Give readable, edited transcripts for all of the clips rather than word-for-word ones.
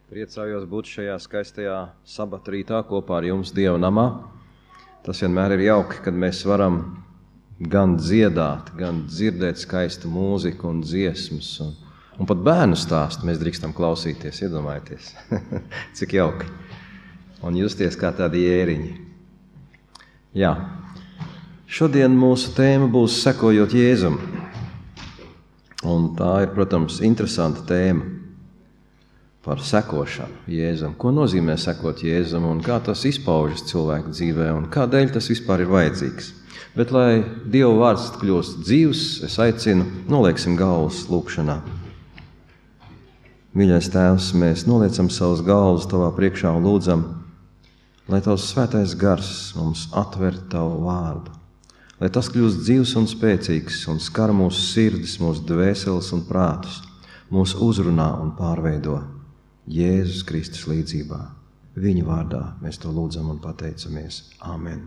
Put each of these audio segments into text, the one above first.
Priecājos būt šajā skaistajā sabata rītā kopā ar jums Dieva namā. Tas vienmēr ir jauki, kad mēs varam gan dziedāt, gan dzirdēt skaistu mūziku un dziesmas. Un pat bērnu stāstu mēs drīkstam klausīties, iedomājieties. Cik jauki. Un justies kā tādi jēriņi. Jā. Šodien mūsu tēma būs sekojot Jēzum. Un tā ir, protams, interesanta tēma. Par sekošanu Jēzum. Ko nozīmē sekot Jēzum un kā tas izpaužas cilvēku dzīvē un kādēļ tas vispār ir vajadzīgs. Bet, lai Dieva vārds kļūst dzīvs, es aicinu, nolieksim galvas lūkšanā. Mīļais Tēvs, mēs noliecam savus galvas Tavā priekšā un lūdzam, lai Tavs svētais gars mums atver Tavu vārdu. Lai tas kļūst dzīvs un spēcīgs un skar mūsu sirdis, mūsu dvēseles un prātus, mūs uzrunā un pārveido. Jēzus Kristus līdzībā. Viņa vārdā mēs to lūdzam un pateicamies. Āmen.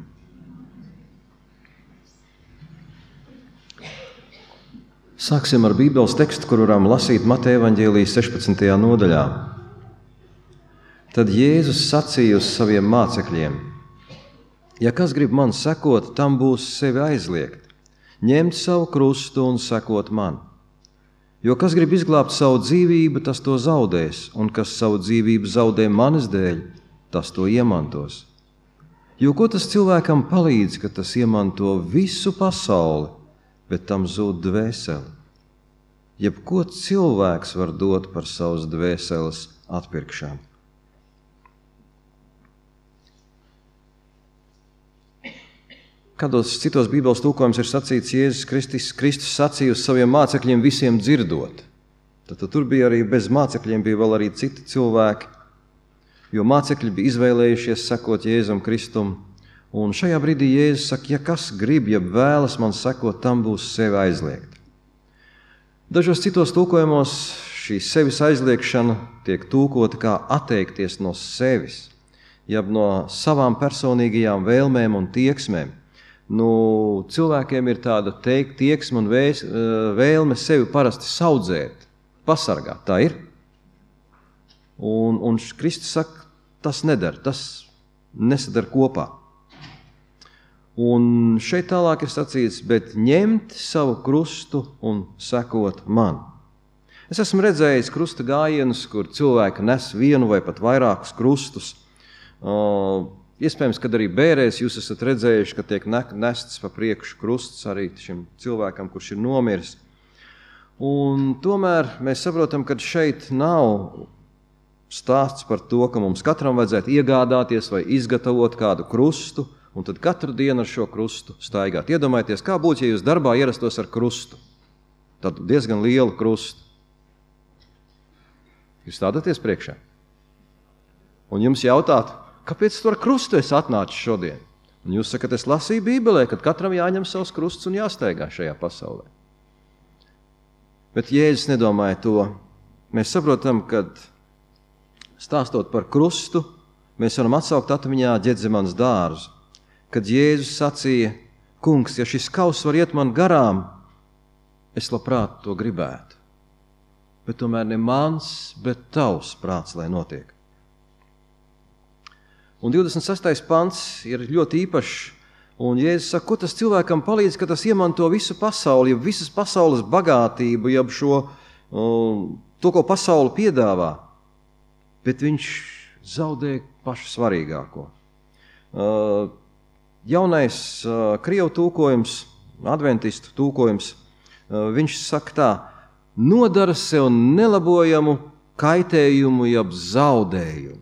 Sāksim ar Bībeles tekstu, kur varam lasīt Mateja evaņģēlijas 16. nodaļā. Tad Jēzus sacīja uz saviem mācekļiem: ja kas grib man sekot, tam būs sevi aizliegt, ņemt savu krustu un sekot man. Jo kas grib izglābt savu dzīvību, tas to zaudēs, un kas savu dzīvību zaudē manis dēļ, tas to iemantos. Jo ko tas cilvēkam palīdz, ka tas iemanto visu pasauli, bet tam zūd dvēseli? Jebko cilvēks var dot par savas dvēseles atpirkšanu. Kādos citos Bībeles tulkojums ir sacīts, Jēzus Kristus sacīja uz saviem mācekļiem visiem dzirdot. Tad tur bija arī bez mācekļiem, bija vēl arī citi cilvēki, jo mācekļi bija izvēlējušies sekot Jēzum Kristum. Un šajā brīdī Jēzus saka, ja kas grib, ja vēlas man sekot, tam būs sevi aizliegt. Dažos citos tulkojumos šī sevis aizliekšana tiek tulkota kā atteikties no sevis, jeb no savām personīgajām vēlmēm un tieksmēm. Cilvēkiem ir tāda tieksme un vēlme sevi parasti saudzēt, pasargāt, tā ir. Un Kristus saka, tas nedara, tas nesadara kopā. Un šeit tālāk ir sacīts, bet ņemt savu krustu un sekot man. Es esmu redzējis krusta gājienus, kur cilvēki nes vienu vai pat vairākus krustus. Iespējams, kad arī bērēs jūs esat redzējuši, ka tiek nests pa priekšu krusts arī šim cilvēkam, kurš ir nomiris. Un tomēr mēs saprotam, ka šeit nav stāsts par to, ka mums katram vajadzētu iegādāties vai izgatavot kādu krustu, un tad katru dienu ar šo krustu staigāt. Iedomājieties, kā būtu, ja jūs darbā ierastos ar krustu. Tad diezgan lielu krustu. Jūs stādaties priekšā. Un jums jautātu, kāpēc tu ar krustu esi atnācis šodien? Un jūs sakat, es lasīju Bībelē, kad katram jāņem savs krusts un jāsteigā šajā pasaulē. Bet Jēzus nedomāja to. Mēs saprotam, kad stāstot par krustu, mēs varam atsaukt atmiņā Ģedzemanas dārzu, kad Jēzus sacīja, kungs, ja šis kauss var iet man garām, es labprāt to gribētu. Bet tomēr ne mans, bet tavs prāts, lai notiek. Un 26. pants ir ļoti īpašs, un Jēzus saka, ko tas cilvēkam palīdz, ka tas iemanto visu pasauli, jeb visas pasaules bagātību, jeb to, ko pasauli piedāvā, bet viņš zaudē pašu svarīgāko. Jaunais krievu tulkojums, adventistu tulkojums, viņš saka tā, nodara sev nelabojamu kaitējumu, jeb zaudējumu.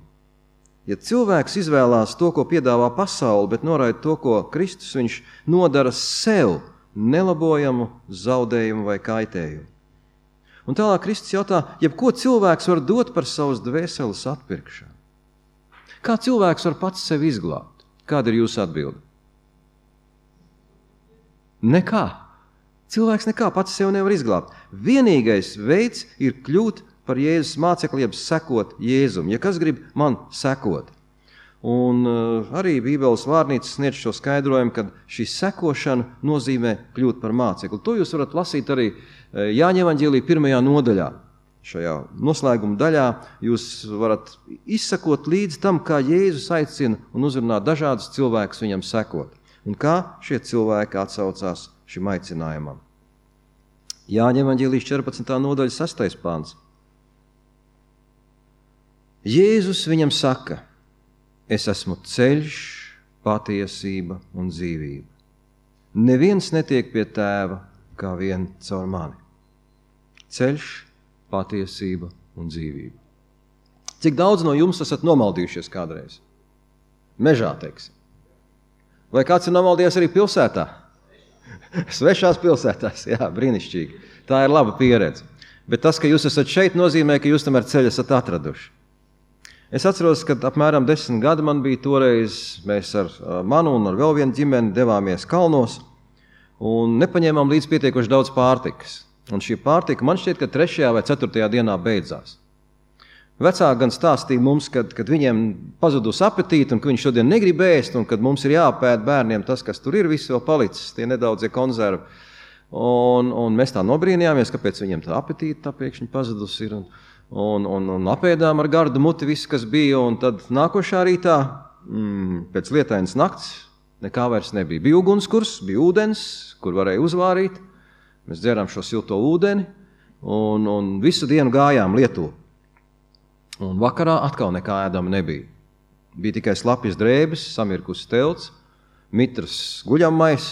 Ja cilvēks izvēlās to, ko piedāvā pasauli, bet noraida to, ko Kristus, viņš nodara sev nelabojamu zaudējumu vai kaitējumu. Un tālāk Kristus jautā, jebko cilvēks var dot par savas dvēseles atpirkšanu? Kā cilvēks var pats sevi izglābt? Kāda ir jūsu atbilde? Nekā. Cilvēks nekā pats sevi nevar izglābt. Vienīgais veids ir kļūt par Jēzus mācekli, jeb sekot Jēzum. Ja kas grib man sekot. Un arī Bībeles vārnīca sniedz šo skaidrojumu, ka šī sekošana nozīmē kļūt par mācekli. To jūs varat lasīt arī Jāņa evaņģēlija 1. nodaļā. šajā noslēguma daļā jūs varat izsakot līdz tam, kā Jēzus aicina un uzrunā dažādus cilvēkus viņam sekot. Un kā šie cilvēki atsaucās šim aicinājumam. Jāņa evaņģēlijas 14. nodaļa 6. pants. Jēzus viņam saka, es esmu ceļš, patiesība un dzīvība. Neviens netiek pie tēva, kā vien caur mani. Ceļš, patiesība un dzīvība. Cik daudz no jums esat nomaldījušies kādreiz? Mežā, teiksim. Vai kāds ir nomaldījies arī pilsētā? Svešās pilsētās, jā, brīnišķīgi. Tā ir laba pieredze. Bet tas, ka jūs esat šeit, nozīmē, ka jūs tomēr ceļu esat atraduši. Es atceros, kad apmēram 10 gadi man bija toreiz, mēs ar manu un ar vēl vienu ģimeni devāmies kalnos un nepaņēmām līdz pietiekoši daudz pārtikas. Un šī pārtika man šķiet, ka 3. vai 4. dienā beidzās. Vecāki gan stāstīja mums, kad viņiem pazudus apetīti un ka viņi šodien negrib ēst un kad mums ir jāpēd bērniem tas, kas tur ir, viss vēl palicis, tie nedaudzie konservi. Un mēs tā nobrīnījāmies, kāpēc viņiem tā apetīti tā pēkšņi pazudus ir. Un apēdām ar gardu muti visu, kas bija. Un tad nākošā rītā, pēc lietainas nakts, nekā vairs nebija. Bija ugunskurs, bija ūdens, kur varēja uzvārīt. Mēs dzērām šo silto ūdeni un visu dienu gājām Lietuvu. Un vakarā atkal nekā ēdama nebija. Bija tikai slapjas drēbes, samirkus telts, mitras guļammais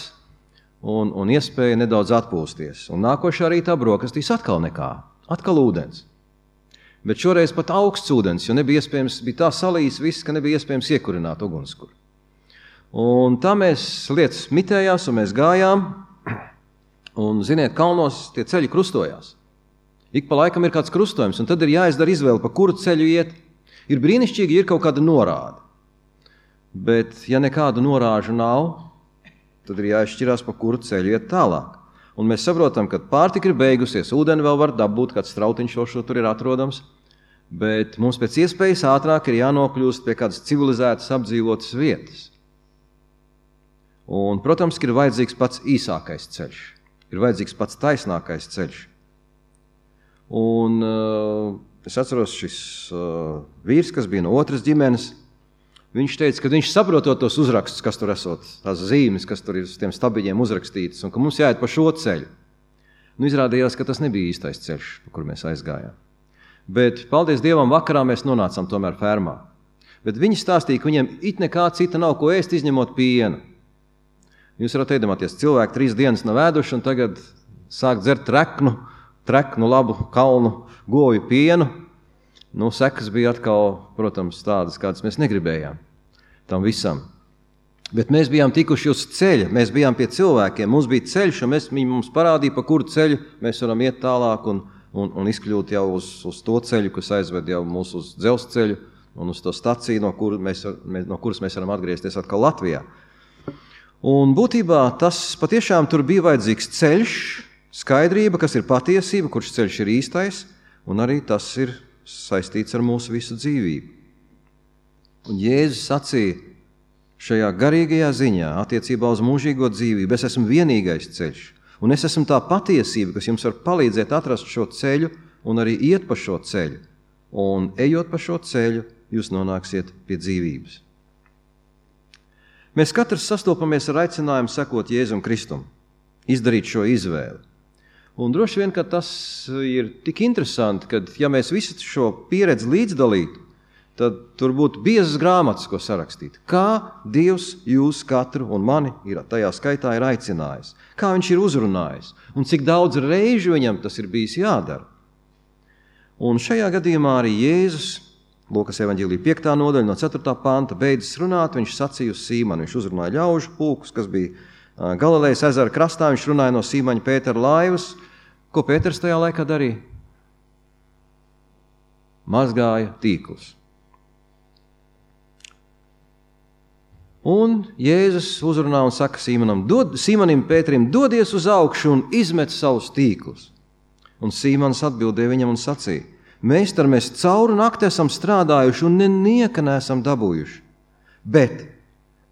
un iespēja nedaudz atpūsties. Un nākošā rītā brokastīs atkal nekā, atkal ūdens. Bet šoreiz pat augsts ūdens, jo nebija iespējams, bija tā salījis viss, ka nebija iespējams iekurināt ugunskura. Un tā mēs lietas mitējās un mēs gājām. Un, ziniet, kalnos tie ceļi krustojās. Ik pa laikam ir kāds krustojums, un tad ir jāizdara izvēle, pa kuru ceļu iet. Ir brīnišķīgi, ir kaut kāda norāde. Bet, ja nekādu norāžu nav, tad ir jāizšķirās, pa kuru ceļu iet tālāk. Un mēs saprotam, ka pārtika ir beigusies, ūdeni vēl var dabūt, kāds strautiņš šo tur ir atrodams, bet mums pēc iespējas ātrāk ir jānokļūst pie kādas civilizētas apdzīvotas vietas. Un, protams, ir vajadzīgs pats īsākais ceļš. Ir vajadzīgs pats taisnākais ceļš. Un es atceros šis vīrs, kas bija no otras ģimenes, viņš teica, ka viņš saprotot tos uzrakstus, kas tur esot, tās zīmes, kas tur ir uz tiem stabiņiem uzrakstītas, un ka mums jāiet pa šo ceļu. Nu, izrādījās, ka tas nebija īstais ceļš, pa kur mēs aizgājām. Bet, paldies Dievam, vakarā mēs nonācām tomēr fermā. Bet viņi stāstīja, ka viņiem it nekā cita nav ko ēst, izņemot pienu. Jūs varat iedomāties, cilvēki 3 dienas nav ēduši un tagad sāk dzert treknu labu kalnu govju pienu. Nu, sekas bija atkal, protams, tādas, kādas mēs negribējām tam visam. Bet mēs bijām tikuši uz ceļa, mēs bijām pie cilvēkiem, mums bija ceļš, un viņi mums parādīja, pa kuru ceļu mēs varam iet tālāk un izkļūt jau uz to ceļu, kas aizved jau mūs uz dzelzceļu un uz to staciju, no kuras mēs varam atgriezties atkal Latvijā. Un būtībā tas patiešām tur bija vajadzīgs ceļš, skaidrība, kas ir patiesība, kurš ceļš ir īstais, un arī tas ir saistīts ar mūsu visu dzīvību. Un Jēzus sacīja šajā garīgajā ziņā attiecībā uz mūžīgo dzīvību, es esmu vienīgais ceļš, un es esmu tā patiesība, kas jums var palīdzēt atrast šo ceļu un arī iet pa šo ceļu. Un ejot pa šo ceļu, jūs nonāksiet pie dzīvības. Mēs katrs sastopamies ar aicinājumu sekot Jēzum Kristum, izdarīt šo izvēli. Un droši vien, ka tas ir tik interesanti, ka ja mēs visu šo pieredzi līdzdalītu, tad tur būtu biezas grāmatas, ko sarakstīt. Kā Dievs jūs katru un mani tajā skaitā ir aicinājis, kā viņš ir uzrunājis un cik daudz reižu viņam tas ir bijis jādara. Un šajā gadījumā arī Jēzus, Lūkas evaņģēlija 5. nodaļa no 4. panta, beidzas runāt, viņš sacīja uz Sīmanu, viņš uzrunāja ļaužu pulkus, kas bija Galilejas ezera krastā, viņš runāja no Sīmaņa Pētera laivas. Ko Pēters tajā laikā darīja? Mazgāja tīklus. Un Jēzus uzrunā un saka Sīmanim Pēterim, dodies uz augšu un izmet savus tīklus. Un Sīmans atbildēja viņam un sacīja, Meistar, mēs cauru nakti esam strādājuši un nenieka neesam dabūjuši, bet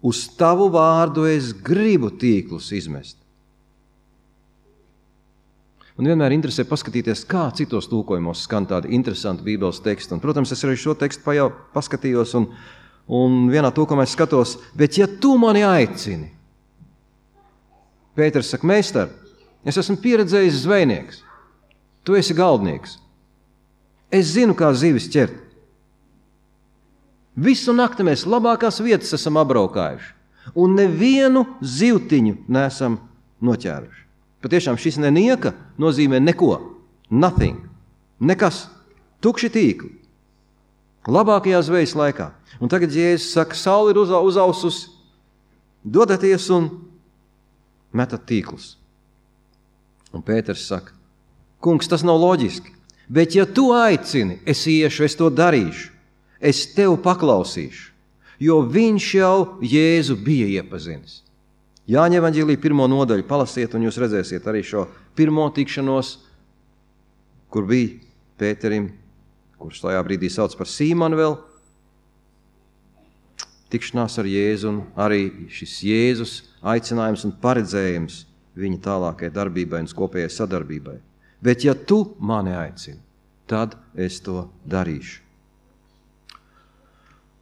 uz tavu vārdu es gribu tīklus izmest. Un vienmēr interesē paskatīties, kā citos tulkojumos skan tādi interesanti Bībeles teksti. Un, protams, es arī šo tekstu paskatījos un vienā tulkojumā es skatos, bet ja tu mani aicini, Pēters saka, meistar, es esmu pieredzējis zvejnieks, tu esi galdnieks. Es zinu, kā zivis ķert. Visu nakti mēs labākās vietas esam apbraukājuši un nevienu zivtiņu neesam noķēruši. Patiešām šis nenieka nozīmē neko, nothing, nekas, tukši tīkli. Labākajā zvejas laikā. Un tagad Jēzus saka, saule ir uzaususi, dodaties un metat tīklus. Un Pēters saka, kungs, tas nav loģiski, bet ja tu aicini, es iešu, es to darīšu, es tev paklausīšu, jo viņš jau Jēzu bija iepazinis. Jāņa evaņģēlija 1. nodaļu palasiet, un jūs redzēsiet arī šo pirmo tikšanos, kur bija Pēterim, kurš tajā brīdī sauc par Sīmanu vēl, tikšanās ar Jēzu un arī šis Jēzus aicinājums un paredzējums viņa tālākajai darbībai un kopējai sadarbībai. Bet ja tu mani aicini, tad es to darīšu.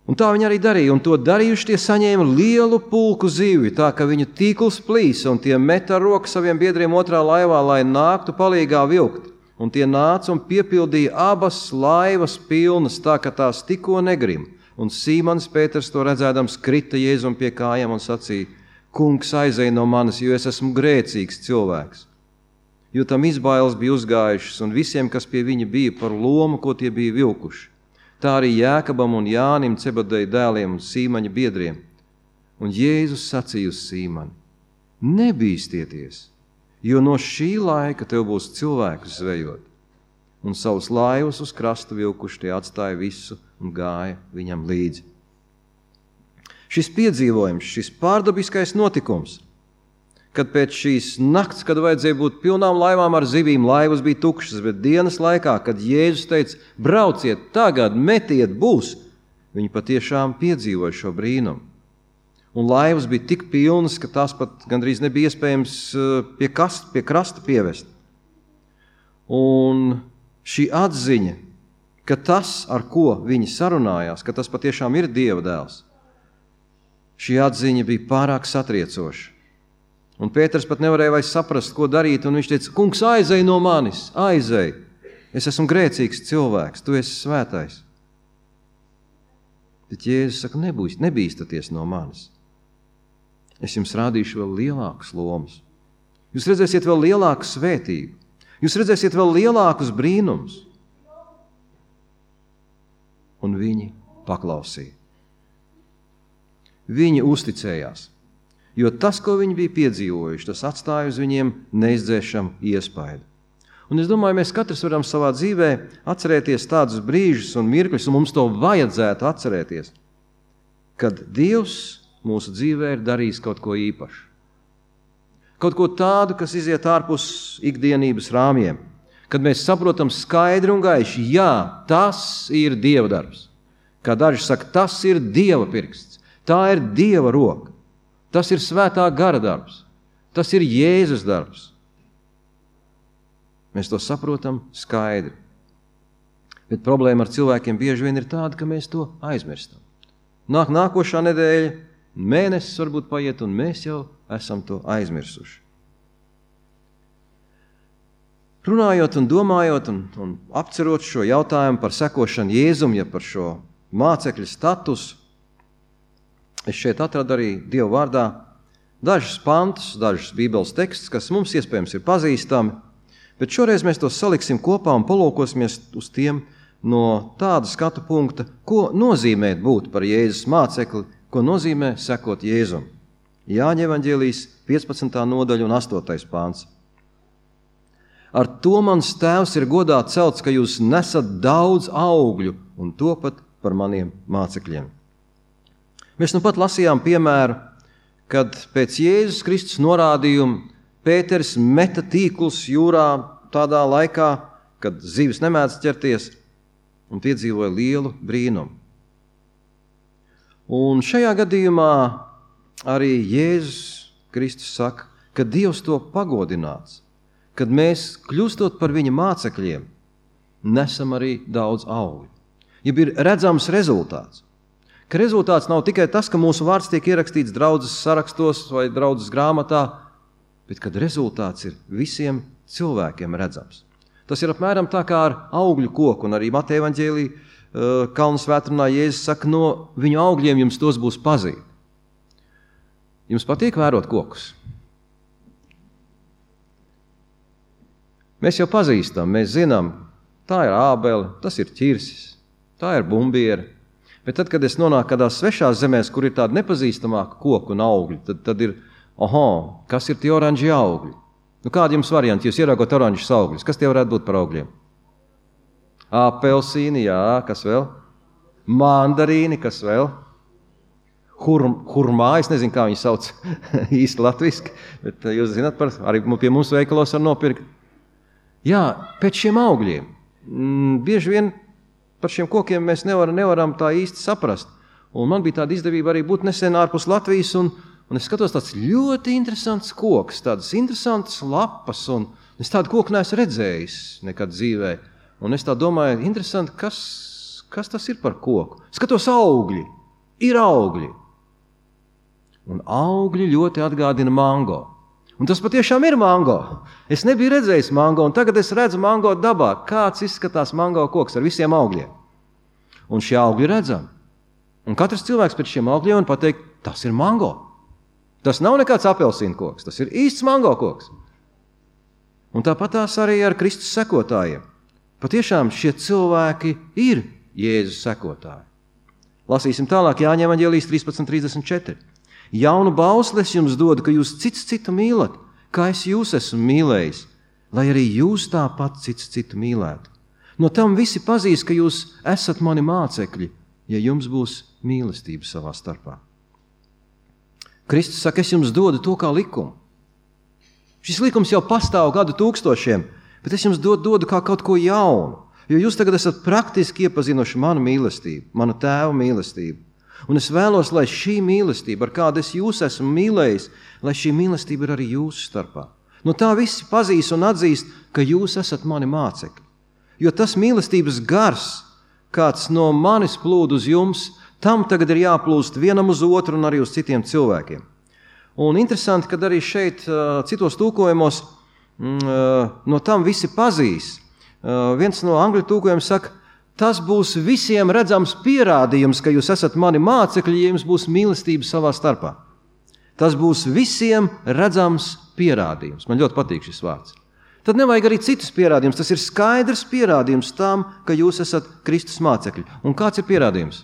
Un tā viņi arī darīja, un to darījuši tie saņēma lielu pulku zivju, tā ka viņu tīkls plīsa, un tie met ar roku saviem biedriem otrā laivā, lai nāktu palīgā vilkt. Un tie nāca un piepildīja abas laivas pilnas, tā ka tās tikko negrim. Un Sīmans Pēters to redzēdams krita Jēzum pie kājām un sacīja, kungs, aizej no manis, jo es esmu grēcīgs cilvēks. Jo tam izbailes bija uzgājušas un visiem, kas pie viņa bija par lomu, ko tie bija vilkuši. Tā arī Jēkabam un Jānim, Cebedeja dēliem un Sīmaņa biedriem. Un Jēzus sacīja uz Sīmani, nebīstieties, jo no šī laika tev būs cilvēkus zvejot. Un savus laivus uz krastu vilkuši tie atstāja visu un gāja viņam līdzi. Šis piedzīvojums, šis pārdabiskais notikums, kad pēc šīs nakts, kad vajadzēja būt pilnām laivām ar zivīm, laivas bija tukšas, bet dienas laikā, kad Jēzus teica, brauciet tagad, metiet, būs, viņi patiešām piedzīvoja šo brīnumu. Un laivas bija tik pilnas, ka tās pat gandrīz nebija iespējams pie krasta pievest. Un šī atziņa, ka tas, ar ko viņi sarunājās, ka tas patiešām ir Dieva dēls, šī atziņa bija pārāk satriecoša. Un Pēters pat nevarēja vairs saprast, ko darīt, un viņš teica, kungs, aizej no manis, aizej, es esmu grēcīgs cilvēks, tu esi svētais. Bet Jēzus saka, nebīstaties no manis. Es jums rādīšu vēl lielākas lomas. Jūs redzēsiet vēl lielāku svētību. Jūs redzēsiet vēl lielākus brīnumus. Un viņi paklausīja. Viņi uzticējās, jo tas, ko viņi bija piedzīvojuši, tas atstāja uz viņiem neizdzēšamu iespaidu. Un es domāju, mēs katrs varam savā dzīvē atcerēties tādus brīžus un mirkļus, un mums to vajadzētu atcerēties, kad Dievs mūsu dzīvē ir darījis kaut ko īpašu. Kaut ko tādu, kas iziet ārpus ikdienības rāmjiem. Kad mēs saprotam skaidri un gaiši, jā, tas ir Dieva darbs. Kā daži saka, tas ir Dieva pirksts, tā ir Dieva roka, tas ir svētā gara darbs, tas ir Jēzus darbs. Mēs to saprotam skaidri. Bet problēma ar cilvēkiem bieži vien ir tāda, ka mēs to aizmirstam. Nākošā nedēļa, mēnesis varbūt paiet, un mēs jau esam to aizmirsuši. Runājot un domājot un apcerot šo jautājumu par sekošanu Jēzum, ja par šo mācekļu statusu, es šeit atradu arī Dieva vārdā dažus pantus, dažus Bībeles tekstus, kas mums iespējams ir pazīstami, bet šoreiz mēs tos saliksim kopā un palūkosimies uz tiem no tāda skatu punkta, ko nozīmē būt par Jēzus mācekli, ko nozīmē sekot Jēzum. Jāņa evaņģēlijas 15. nodaļa un 8. pāns. Ar to mans tēvs ir godā celts, ka jūs nesat daudz augļu un topat par maniem mācekļiem. Mēs nu pat lasījām piemēru, kad pēc Jēzus Kristus norādījuma Pēters meta tīklus jūrā tādā laikā, kad zivis nemēdz ķerties, un piedzīvoja lielu brīnumu. Un šajā gadījumā arī Jēzus Kristus saka, ka Dievs to pagodināts, kad mēs, kļūstot par viņa mācekļiem, nesam arī daudz augļu. Ja ir redzams rezultāts, ka rezultāts nav tikai tas, ka mūsu vārds tiek ierakstīts draudzes sarakstos vai draudzes grāmatā, bet kad rezultāts ir visiem cilvēkiem redzams. Tas ir apmēram tā kā ar augļu koku, un arī Mateja evaņģēlī Kalnu svētrunā Jēzus saka, no viņu augļiem jums tos būs pazīt. Jums patīk vērot kokus? Mēs jau pazīstam, mēs zinām, tā ir ābele, tas ir ķirsis, tā ir bumbiera. Bet tad, kad es nonāku kādās svešās zemēs, kur ir tāda nepazīstamāka koku un augļi, tad ir, kas ir tie oranži augļi? Nu, kādi jums varianti, jūs ieraugot oranžus augļus? Kas tie varētu būt par augļiem? Apelsīni, jā, kas vēl? Mandarīni, kas vēl? Hurmā, es nezinu, kā viņi sauc īsti latviski, bet jūs zināt, arī pie mums veikalos var nopirkt. Jā, pēc šiem augļiem. Bieži vien par šiem kokiem mēs nevaram tā īsti saprast. Un man bija tāda izdevība arī būt nesen ārpus Latvijas, un es skatos tāds ļoti interesants koks, tādas interesantas lapas, un es tādu koku neesmu redzējis nekad dzīvē. Un es tā domāju, interesanti, kas tas ir par koku. Skatos augļi, ir augļi. Un augļi ļoti atgādina mango. Un tas patiešām ir mango. Es nebiju redzējis mango, un tagad es redzu mango dabā. Kāds izskatās mango koks ar visiem augļiem. Un šie augļi redzam. Un katrs cilvēks pēc šiem augļiem un pateikt, tas ir mango. Tas nav nekāds apelsīnu koks, tas ir īsts mango koks. Un tāpat tās arī ar Kristus sekotājiem. Patiešām šie cilvēki ir Jēzus sekotāji. Lasīsim tālāk Jāņa evaņģēlijas 13:34. Jaunu bausli es jums dodu, ka jūs cits citu mīlat, kā es jūs esmu mīlējis, lai arī jūs tāpat cits citu mīlētu. No tam visi pazīs, ka jūs esat mani mācekļi, ja jums būs mīlestība savā starpā. Kristus saka, es jums dodu to kā likumu. Šis likums jau pastāv gadu tūkstošiem, bet es jums dodu kā kaut ko jaunu, jo jūs tagad esat praktiski iepazinuši manu mīlestību, manu tēva mīlestību. Un es vēlos, lai šī mīlestība, ar kādu es jūs esmu mīlējis, lai šī mīlestība ir arī jūsu starpā. No tā visi pazīs un atzīst, ka jūs esat mani mācekļi. Jo tas mīlestības gars, kāds no manis plūd uz jums, tam tagad ir jāplūst vienam uz otru un arī uz citiem cilvēkiem. Un interesanti, kad arī šeit citos tūkojumos no tam visi pazīs. Viens no angļu tūkojumiem saka, tas būs visiem redzams pierādījums, ka jūs esat mani mācekļi, ja jums būs mīlestība savā starpā. Tas būs visiem redzams pierādījums. Man ļoti patīk šis vārds. Tad nevajag arī citus pierādījumus. Tas ir skaidrs pierādījums tam, ka jūs esat Kristus mācekļi. Un kāds ir pierādījums?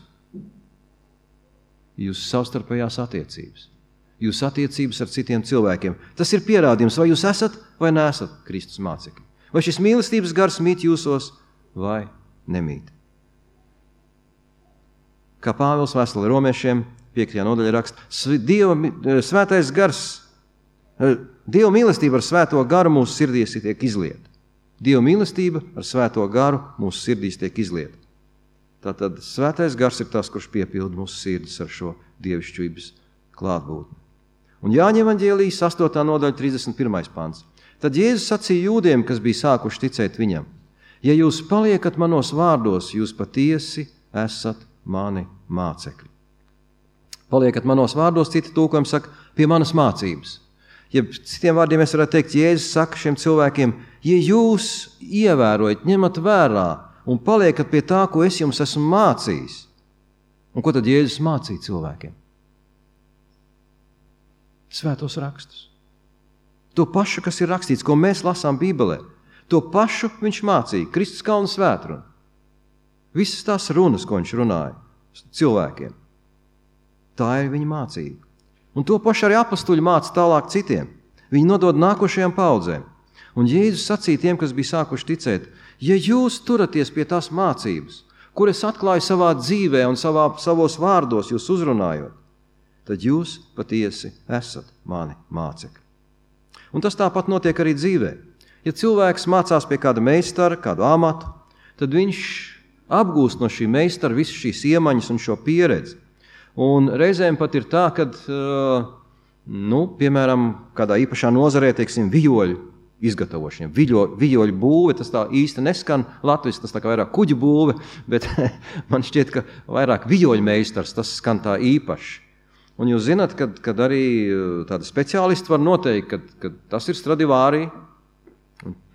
Jūsu savstarpējās attiecības. Jūsu attiecības ar citiem cilvēkiem. Tas ir pierādījums, vai jūs esat vai neesat Kristus mācekļi. Vai šis mīlestības gars mīt jūsos vai nemīt. Kā Pāvils vēstulē romiešiem 5. nodaļā raksta, svētais gars, Dieva mīlestība ar svēto garu mūsu sirdīs tiek izlieta. Dieva mīlestība ar svēto garu mūsu sirdīs tiek izlieta. Tātad svētais gars ir tas, kurš piepilda mūsu sirdis ar šo dievišķības klātbūtni. Un Jāņa evaņģēlijas 8. nodaļa 31. pants. Tad Jēzus sacīja jūdiem, kas bija sākuši ticēt viņam, ja jūs paliekat manos vārdos, jūs patiesi esat mani mācekļi. Paliekat manos vārdos, citi tūkojumi saka, pie manas mācības. Ja citiem vārdiem mēs varētu teikt, Jēzus saka šiem cilvēkiem, ja jūs ievērojat, ņemat vērā un paliekat pie tā, ko es jums esmu mācījis. Un ko tad Jēzus mācīja cilvēkiem? Svētos rakstus. To pašu, kas ir rakstīts, ko mēs lasām Bībelē. To pašu viņš mācīja, Kristus Kalnu svētrunu. Visas tās runas, ko viņš runāja cilvēkiem. Tā ir viņa mācība. Un to pašu arī apostuļi māca tālāk citiem. Viņi nodod nākošajām paudzēm. Un Jēzus sacīja tiem, kas bija sākuši ticēt, ja jūs turaties pie tās mācības, kur es atklāju savā dzīvē un savos vārdos jūs uzrunājot, tad jūs patiesi esat mani mācekļi. Un tas tāpat notiek arī dzīvē. Ja cilvēks mācās pie kāda meistara, kādu amatu, tad viņš apgūst no šī meistara visu šīs iemaņas un šo pieredzi. Un reizēm pat ir tā, kad, piemēram, kādā īpašā nozarē, teiksim, vijoļu izgatavošiem. Viļoļu būve, tas tā īsti neskan latviski, tas tā kā vairāk kuģu būve, bet man šķiet, ka vairāk viļoļu meistars, tas skan tā īpaši. Un jūs zināt, kad arī tādi speciālisti var noteikt, ka tas ir Stradivari.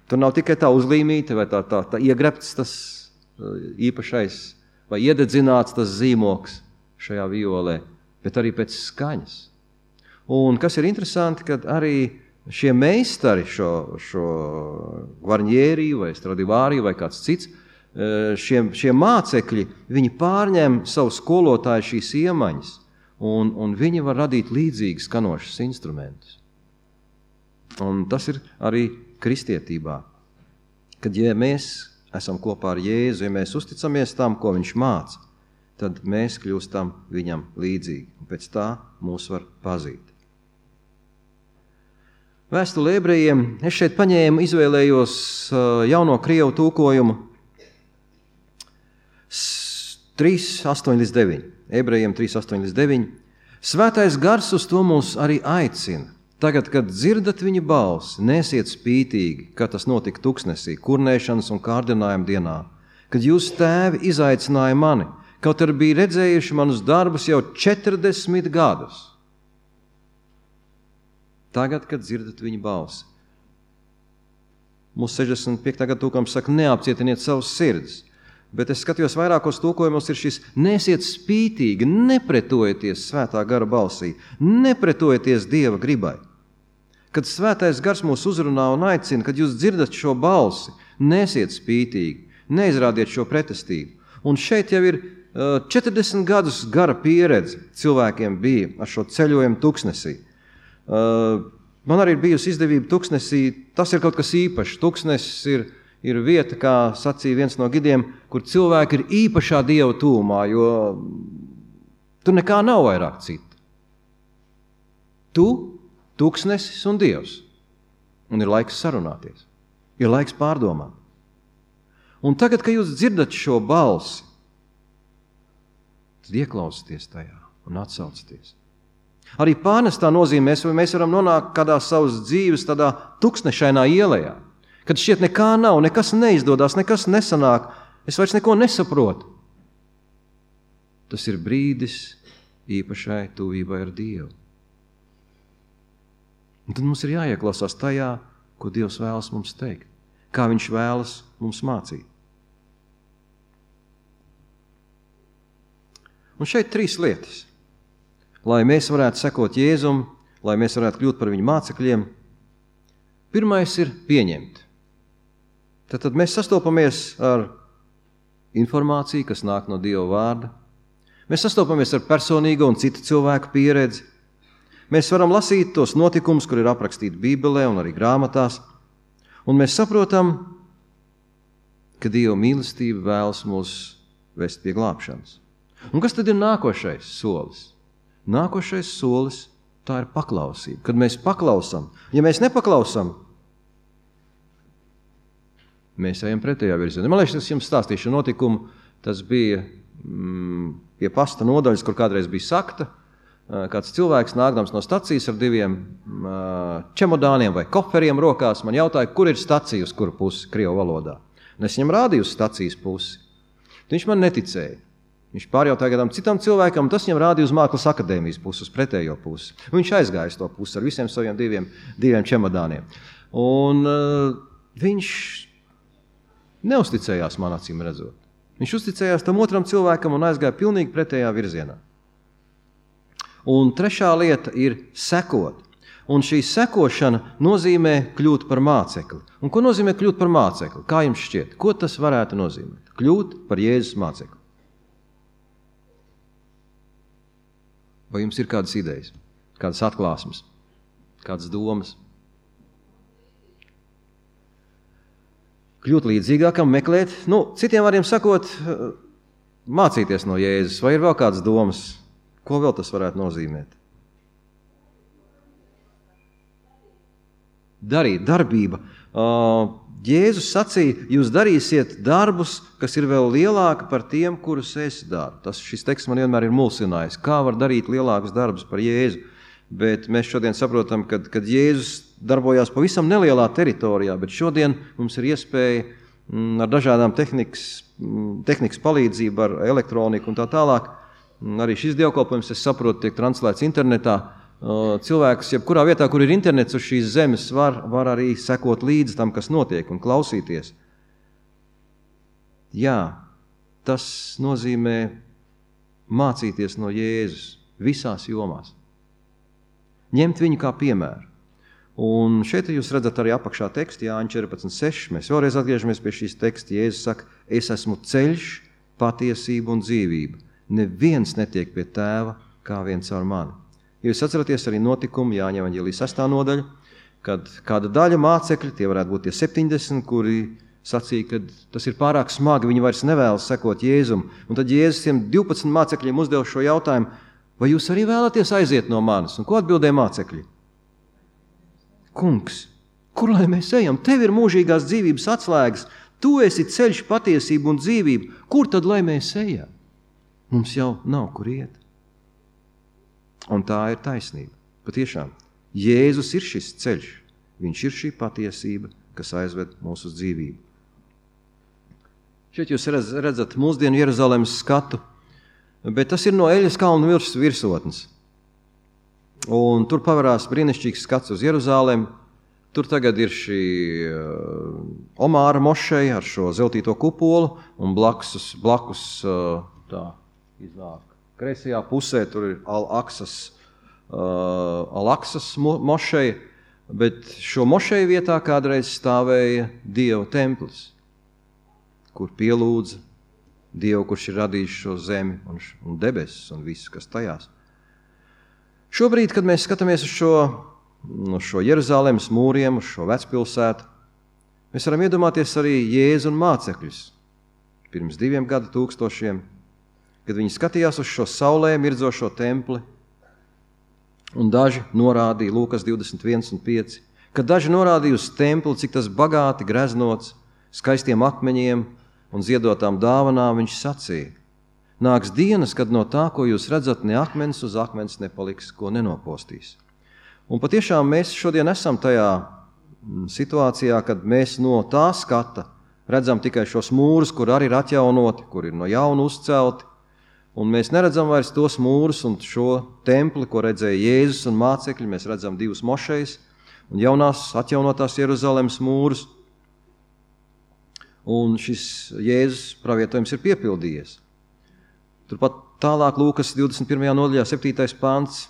Tur nav tikai tā uzlīmīte vai tā iegrebts tas īpašais vai iededzināts tas zīmoks šajā violē, bet arī pēc skaņas. Un kas ir interesanti, kad arī šie meistari, šo Guarnieri vai Stradivari vai kāds cits, šie mācekļi, viņi pārņem savu skolotāju šīs iemaņas, un viņi var radīt līdzīgi skanošus instrumentus. Un tas ir arī kristietībā, kad ja mēs esam kopā ar Jēzu, ja mēs uzticamies tam, ko viņš māca, tad mēs kļūstam viņam līdzīgi, un pēc tā mūs var pazīt. Vēstule ebrejiem, es šeit izvēlējos jauno krievu tulkojumu 3:8-9. Ebrejiem 3:8-9. Svētais gars uz to mūs arī aicina. Tagad, kad dzirdat viņa balsi, nesiet spītīgi, kā tas notika tuksnesī, kurnēšanas un kārdinājuma dienā, kad jūs tēvi izaicināja mani, kaut arī bija redzējuši manus darbus jau 40 gadus. Tagad, kad dzirdat viņa balsi. Mūsu 65. gada tulkojums saka, neapcietiniet savus sirdis. Bet es skatījos vairākos tulkojumos, ir šis nesiet spītīgi, nepretojieties svētā gara balsī, nepretojieties Dieva gribai. Kad svētais gars mūs uzrunā un aicina, kad jūs dzirdat šo balsi, nesiet spītīgi, neizrādiet šo pretestību. Un šeit jau ir 40 gadus gara pieredze cilvēkiem bija ar šo ceļojumu tuksnesī. Man arī ir bijusi izdevība tuksnesī, tas ir kaut kas īpašs. Tuksnesis ir vieta, kā sacīja viens no gidiem, kur cilvēki ir īpašā Dieva tūmā, jo tur nekā nav vairāk cita. Tu, tuksnesis un Dievs. Un ir laiks sarunāties. Ir laiks pārdomāt. Un tagad, kad jūs dzirdat šo balsi, tad ieklausieties tajā un atsaucaties. Arī pārnestā nozīmē, mēs varam nonākt kādā savas dzīves tādā tuksnešainā ielējā, kad šķiet nekā nav, nekas neizdodas, nekas nesanāk, es vairs neko nesaprotu. Tas ir brīdis īpašai tuvībai ar Dievu. Un tad mums ir jāieklausās tajā, ko Dievs vēlas mums teikt, kā viņš vēlas mums mācīt. Un šeit 3 lietas. Lai mēs varētu sekot Jēzum, lai mēs varētu kļūt par viņu mācekļiem, pirmais ir pieņemt. Tad mēs sastopamies ar informāciju, kas nāk no Dieva vārda. Mēs sastopamies ar personīgo un citu cilvēku pieredzi. Mēs varam lasīt tos notikumus, kur ir aprakstīti Bībelē un arī grāmatās, un mēs saprotam, ka Dieva mīlestība vēlas mūs vest pie glābšanas. Un kas tad ir nākošais solis? Nākošais solis, tā ir paklausība. Kad mēs paklausam, ja mēs nepaklausam, mēs ejam pretējā virzienā. Man liekas, es jums stāstīšu notikumu, tas bija pie pasta nodaļas, kur kādreiz bija sakta. Kāds cilvēks nākdams no stacijas ar 2 čemodāniem vai koferiem rokās, man jautāja, kur ir stacija, uz kuru pusi krievu valodā. Un es viņam rādīju uz stacijas pusi. Viņš man neticēja. Viņš pārjautāja kādam citam cilvēkam, un tas viņam rādīja uz Mākslas akadēmijas pusi, uz pretējo pusi. Un viņš aizgāja uz to pusi ar visiem saviem 2 čemodāniem. Un viņš neusticējās man acīm redzot. Viņš uzticējās tam otram cilvēkam un aizgāja pilnīgi pretējā virzienā. Un 3. lieta ir sekot. Un šī sekošana nozīmē kļūt par mācekli. Un ko nozīmē kļūt par mācekli? Kā jums šķiet? Ko tas varētu nozīmēt? Kļūt par Jēzus mācekli. Vai jums ir kādas idejas, kādas atklāsmes, kādas domas? Kļūt līdzīgākam, meklēt, citiem vārdiem sakot, mācīties no Jēzus. Vai ir vēl kādas domas? Ko vēl tas varētu nozīmēt? Darīt, darbība. Jēzus sacīja, jūs darīsiet darbus, kas ir vēl lielāki par tiem, kurus es daru. Šis teksts man vienmēr ir mulsinājis. Kā var darīt lielākus darbus par Jēzu? Bet mēs šodien saprotam, kad Jēzus darbojās pavisam nelielā teritorijā, bet šodien mums ir iespēja ar dažādām tehnikas palīdzību, ar elektroniku un tā tālāk. Arī šis dievkalpojums, es saprotu, tiek translēts internetā. Cilvēks, jebkurā vietā, kur ir internets uz šīs zemes, var arī sekot līdzi tam, kas notiek un klausīties. Jā, tas nozīmē mācīties no Jēzus visās jomās. Ņemt viņu kā piemēru. Un šeit jūs redzat arī apakšā tekstu, Jāņa 14:6. Mēs vēlreiz atgriežamies pie šīs teksta. Jēzus saka, es esmu ceļš, patiesība un dzīvība. Neviens netiek pie tēva kā viens ar mani. Ja jūs atceraties arī notikumu Jāņa evaņģēlijas 6. nodaļu, kad kāda daļa mācekļi, tie varētu būt tie 70, kuri sacīja, ka tas ir pārāk smagi, viņi vairs nevēlas sekot Jēzum. Un tad Jēzus tiem 12 mācekļiem uzdeva šo jautājumu, vai jūs arī vēlaties aiziet no manis? Un ko atbildēja mācekļi? Kungs, kur lai mēs ejam? Tev ir mūžīgās dzīvības atslēgas, tu esi ceļš, patiesība un dzīvība. Kur tad lai mēs ejam? Mums jau nav kur iet. Un tā ir taisnība. Patiešām, Jēzus ir šis ceļš. Viņš ir šī patiesība, kas aizved mūsu uz dzīvību. Šeit jūs redzat mūsdienu Jeruzalemes skatu, bet tas ir no Eļas kalna virsotnes. Un tur pavarās brīnišķīgs skats uz Jeruzalemi. Tur tagad ir šī Omāra mošeja ar šo zeltīto kupolu, un blakus tā iznāk. Kreisajā pusē tur ir Al-Aksas mošeja, bet šo mošeju vietā kādreiz stāvēja Dieva templis, kur pielūdza Dievu, kurš ir radījis šo zemi un debesis un visu, kas tajās. Šobrīd, kad mēs skatāmies uz šo Jeruzalemes mūriem, uz šo vecpilsētu, mēs varam iedomāties arī Jēzu un mācekļus pirms 2 gadu tūkstošiem, kad viņi skatījās uz šo saulē mirdzošo templi, un daži norādīja, Lūkas 21:5, kad daži norādīja uz templi, cik tas bagāti greznots, skaistiem akmeņiem un ziedotām dāvanām, viņš sacīja, nāks dienas, kad no tā, ko jūs redzat, ne akmens uz akmens nepaliks, ko nenopostīs. Un patiešām mēs šodien esam tajā situācijā, kad mēs no tā skata redzam tikai šos mūrus, kur arī ir atjaunoti, kur ir no jauna uzcelti, un mēs neredzam vairs tos mūrus un šo templi, ko redzēja Jēzus un mācekļi. Mēs redzam 2 mošejas un jaunās atjaunotās Jeruzalemes mūrus, un šis Jēzus pravietojums ir piepildījies. Turpat tālāk Lūkas 21. nodaļā 7. pants,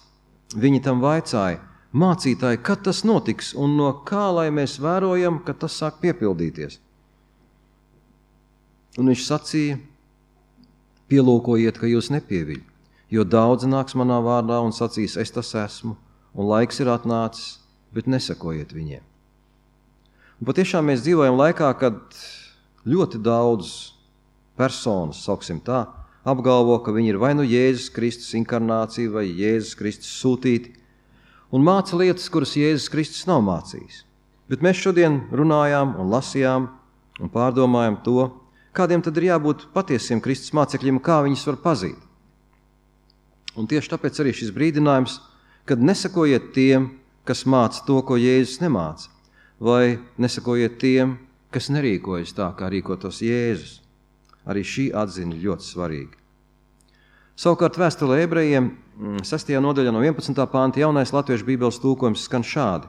viņi tam vaicāja, mācītāji, kad tas notiks un no kā lai mēs vērojam, kad tas sāk piepildīties? Un viņš sacīja, pielūkojiet, ka jūs nepieviļ, jo daudzi nāks manā vārdā un sacīs, es tas esmu, un laiks ir atnācis, bet nesakojiet viņiem. Un patiešām mēs dzīvojam laikā, kad ļoti daudz personas, sauksim tā, apgalvo, ka viņi ir vai nu Jēzus Kristus inkarnācija vai Jēzus Kristus sūtīti, un māca lietas, kuras Jēzus Kristus nav mācījis. Bet mēs šodien runājām un lasījām un pārdomājam to, kādiem tad ir jābūt patiesiem Kristus mācekļiem, kā viņus var pazīt. Un tieši tāpēc arī šis brīdinājums, kad nesakojiet tiem, kas māca to, ko Jēzus nemāca, vai nesakojiet tiem, kas nerīkojas tā, kā rīkotos Jēzus. Arī šī atziņa ļoti svarīga. Savukārt vēstulē ebrejiem 6. nodaļā no 11. panta jaunais latviešu bībeles tulkojums skan šādi.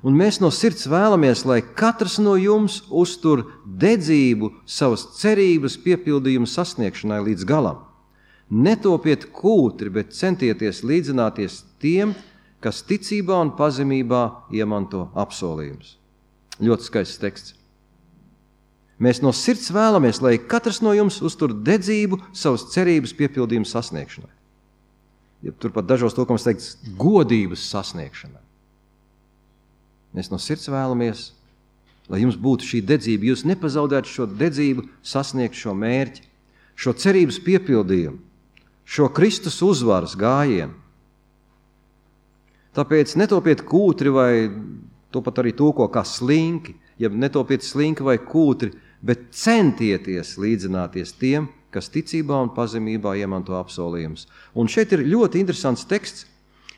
Un mēs no sirds vēlamies, lai katrs no jums uztur dedzību savas cerības piepildījuma sasniegšanai līdz galam. Netopiet kūtri, bet centieties līdzināties tiem, kas ticībā un pazemībā iemanto apsolījumus. Ļoti skaists teksts. Mēs no sirds vēlamies, lai katrs no jums uztur dedzību savas cerības piepildījuma sasniegšanai. Ja turpat dažos tulkojumos teikts godības sasniegšanai. Mēs no sirds vēlamies, lai jums būtu šī dedzība, jūs nepazaudētu šo dedzību sasniegt šo mērķi, šo cerības piepildījumu, šo Kristus uzvaras gājienu. Tāpēc netopiet kūtri vai to pat arī tulko kā slinki, ja netopiet slinki vai kūtri, bet centieties līdzināties tiem, kas ticībā un pazemībā iemanto apsolījumus. Un šeit ir ļoti interesants teksts,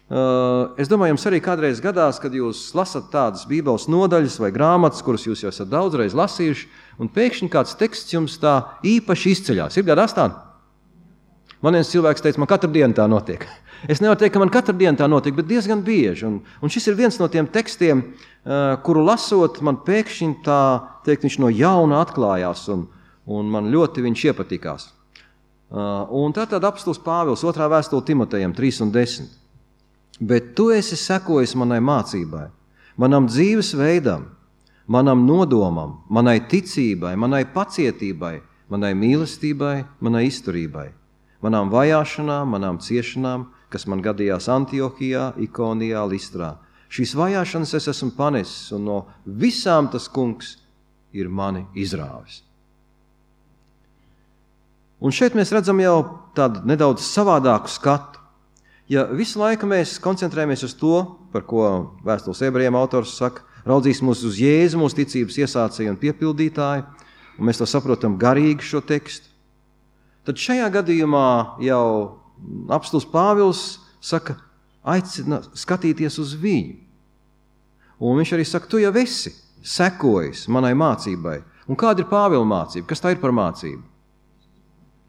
Es domāju, jums arī kādreiz gadās, kad jūs lasat tādas bībeles nodaļas vai grāmatas, kuras jūs jau esat daudzreiz lasījuši, un pēkšņi kāds teksts jums tā īpaši izceļās. Ir gadās tā? Man viens cilvēks teica, man katru dienu tā notiek. Es nevaru teikt, ka man katru dienu tā notiek, bet diezgan bieži. Un šis ir viens no tiem tekstiem, kuru lasot, man pēkšņi tā, teikt, viņš no jauna atklājās, un man ļoti viņš iepatikās. Un tātad apostols Pāvils, 2. vēstule Timotejam 3:10. Bet tu esi sekojis manai mācībai, manam dzīves veidam, manam nodomam, manai ticībai, manai pacietībai, manai mīlestībai, manai izturībai, manām vajāšanām, manām ciešanām, kas man gadījās Antiohijā, Ikonijā, Listrā. Šīs vajāšanas es esmu panesis, un no visām tas kungs ir mani izrāvis. Un šeit mēs redzam jau tādu nedaudz savādāku skatu. Ja visu laiku mēs koncentrējamies uz to, par ko vēstules ebrejiem autors saka, raudzīsimies uz Jēzu, mūsu ticības iesācēju un piepildītāju, un mēs to saprotam garīgi šo tekstu, tad šajā gadījumā jau apostols Pāvils saka, aicina skatīties uz viņu. Un viņš arī saka, tu jau esi sekojis manai mācībai. Un kāda ir Pāvila mācība? Kas tā ir par mācību?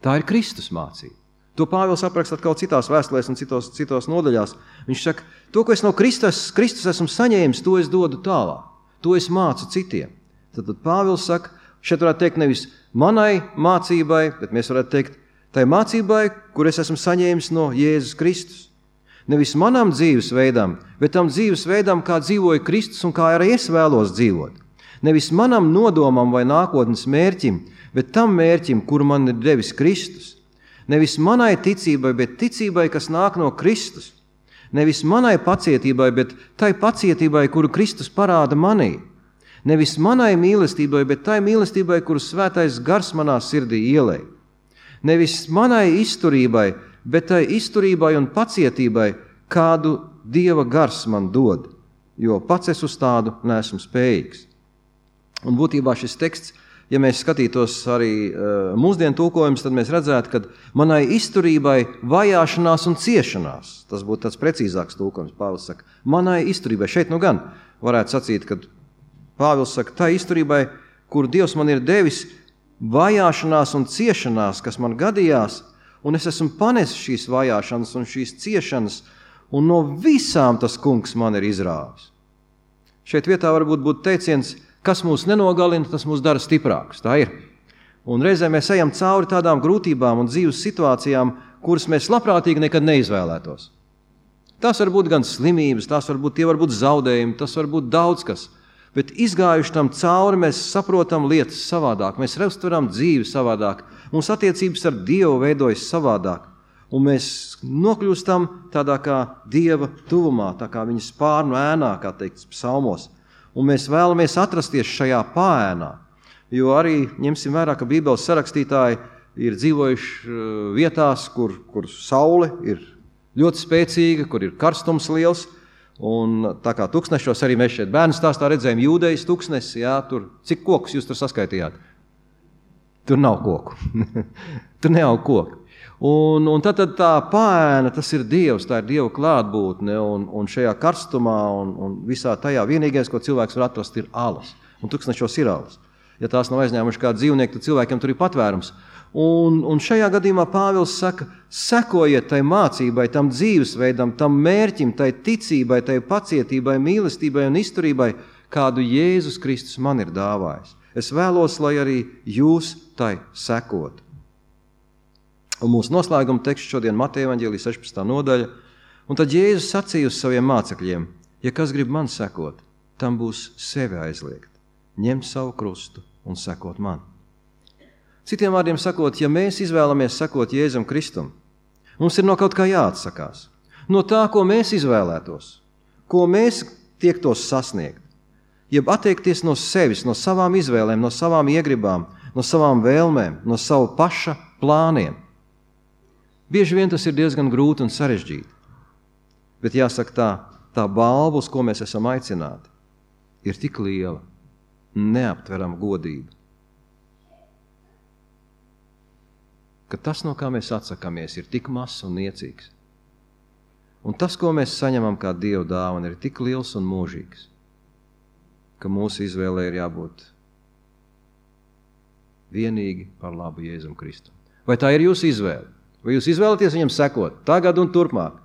Tā ir Kristus mācība. To Pāvils apraksta atkal citās vēstulēs un citos nodaļās. Viņš saka, to, ko es no Kristus esmu saņēmis, to es dodu tālāk. To es mācu citiem. Tad Pāvils saka, šeit varētu teikt nevis manai mācībai, bet mēs varētu teikt tai mācībai, kur es esmu saņēmis no Jēzus Kristus. Nevis manam dzīvesveidam, bet tam dzīvesveidam, kā dzīvoja Kristus un kā arī es vēlos dzīvot. Nevis manam nodomam vai nākotnes mērķim, bet tam mērķim, kuru man ir devis Kristus. Nevis manai ticībai, bet ticībai, kas nāk no Kristus. Nevis manai pacietībai, bet tai pacietībai, kuru Kristus parāda manī. Nevis manai mīlestībai, bet tai mīlestībai, kuru svētais gars manā sirdī ielej. Nevis manai izturībai, bet tai izturībai un pacietībai, kādu Dieva gars man dod, jo pats es uz tādu neesmu spējīgs. Un būtībā šis teksts, ja mēs skatītos arī mūsdienu tulkojumus, tad mēs redzētu, ka manai izturībai vajāšanās un ciešanās, tas būtu tāds precīzāks tulkojums, Pāvils saka, manai izturībai, šeit nu gan varētu sacīt, kad Pāvils saka, tai izturībai, kuru Dievs man ir devis, vajāšanās un ciešanās, kas man gadījās, un es esmu panesis šīs vajāšanas un šīs ciešanas, un no visām tas kungs man ir izrāvis. Šeit vietā varbūt būtu teiciens, kas mūs nenogalina, tas mūs dara stiprākus. Tā ir. Un reizē mēs ejam cauri tādām grūtībām un dzīves situācijām, kuras mēs labprātīgi nekad neizvēlētos. Tas var būt gan slimības, tie var būt zaudējumi, tas var būt daudz kas. Bet izgājuši tam cauri, mēs saprotam lietas savādāk, mēs uztveram dzīvi savādāk, mums attiecības ar Dievu veidojas savādāk. Un mēs nokļūstam tādā kā Dieva tuvumā, tā kā viņa spārnu ēnā, kā teikts psalmos. Un mēs vēlamies atrasties šajā pāēnā, jo arī ņemsim vērā, ka Bībeles sarakstītāji ir dzīvojuši vietās, kur saule ir ļoti spēcīga, kur ir karstums liels, un tā kā tuksnešos arī mēs šeit bērnu stāstā redzējām Jūdejas tuksnesi, jā, tur, cik kokus jūs tur saskaitījāt? Tur nav koku, tur neaug koku. Un tad tā pāēna, tas ir Dievs, tā ir Dieva klātbūtne, un šajā karstumā un visā tajā vienīgais, ko cilvēks var atrast, ir alas. Un tuksnešos ir alas. Ja tās nav aizņēmuši kā dzīvnieki, tad cilvēkiem tur ir patvērums. Un šajā gadījumā Pāvils saka, sekojiet tai mācībai, tam dzīvesveidam, tam mērķim, tai ticībai, tai pacietībai, mīlestībai un izturībai, kādu Jēzus Kristus man ir dāvājis. Es vēlos, lai arī jūs tai sekotu. Un mūsu noslēguma teksts šodien Mateja evaņģēlija 16. nodaļa. Un tad Jēzus sacīja uz saviem mācekļiem, ja kas grib man sekot, tam būs sevi aizliegt, ņemt savu krustu un sekot man. Citiem vārdiem sakot, ja mēs izvēlamies sekot Jēzum Kristum, mums ir no kaut kā jāatsakās. No tā, ko mēs izvēlētos, ko mēs tiektos sasniegt, jeb atteikties no sevis, no savām izvēlēm, no savām iegribām, no savām vēlmēm, no savu paša plāniem. Bieži vien tas ir diezgan grūti un sarežģīti, bet jāsaka tā balva, uz ko mēs esam aicināti, ir tik liela, neaptverama godība, ka tas, no kā mēs atsakamies, ir tik mazs un niecīgs. Un tas, ko mēs saņemam kā Dieva dāvana, ir tik liels un mūžīgs, ka mūsu izvēlē ir jābūt vienīgi par labu Jēzum Kristum. Vai tā ir jūsu izvēle? Vai jūs izvēlaties viņam sekot tagad un turpmāk?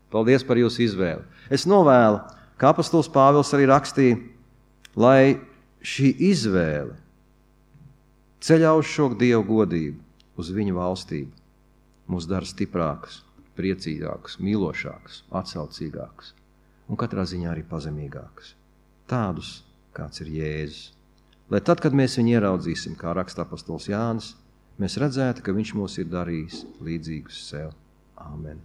Paldies par jūsu izvēli. Es novēlu, kā apostols Pāvils arī rakstīja, lai šī izvēle ceļā uz šo Dievu godību, uz viņa valstību, mūs dara stiprākus, priecīgākus, mīlošākus, atsaucīgākus un katrā ziņā arī pazemīgākus. Tādus, kāds ir Jēzus. Lai tad, kad mēs viņu ieraudzīsim, kā raksta apostols Jānis, mēs redzētu, ka viņš mūs ir darījis līdzīgus sev. Āmen.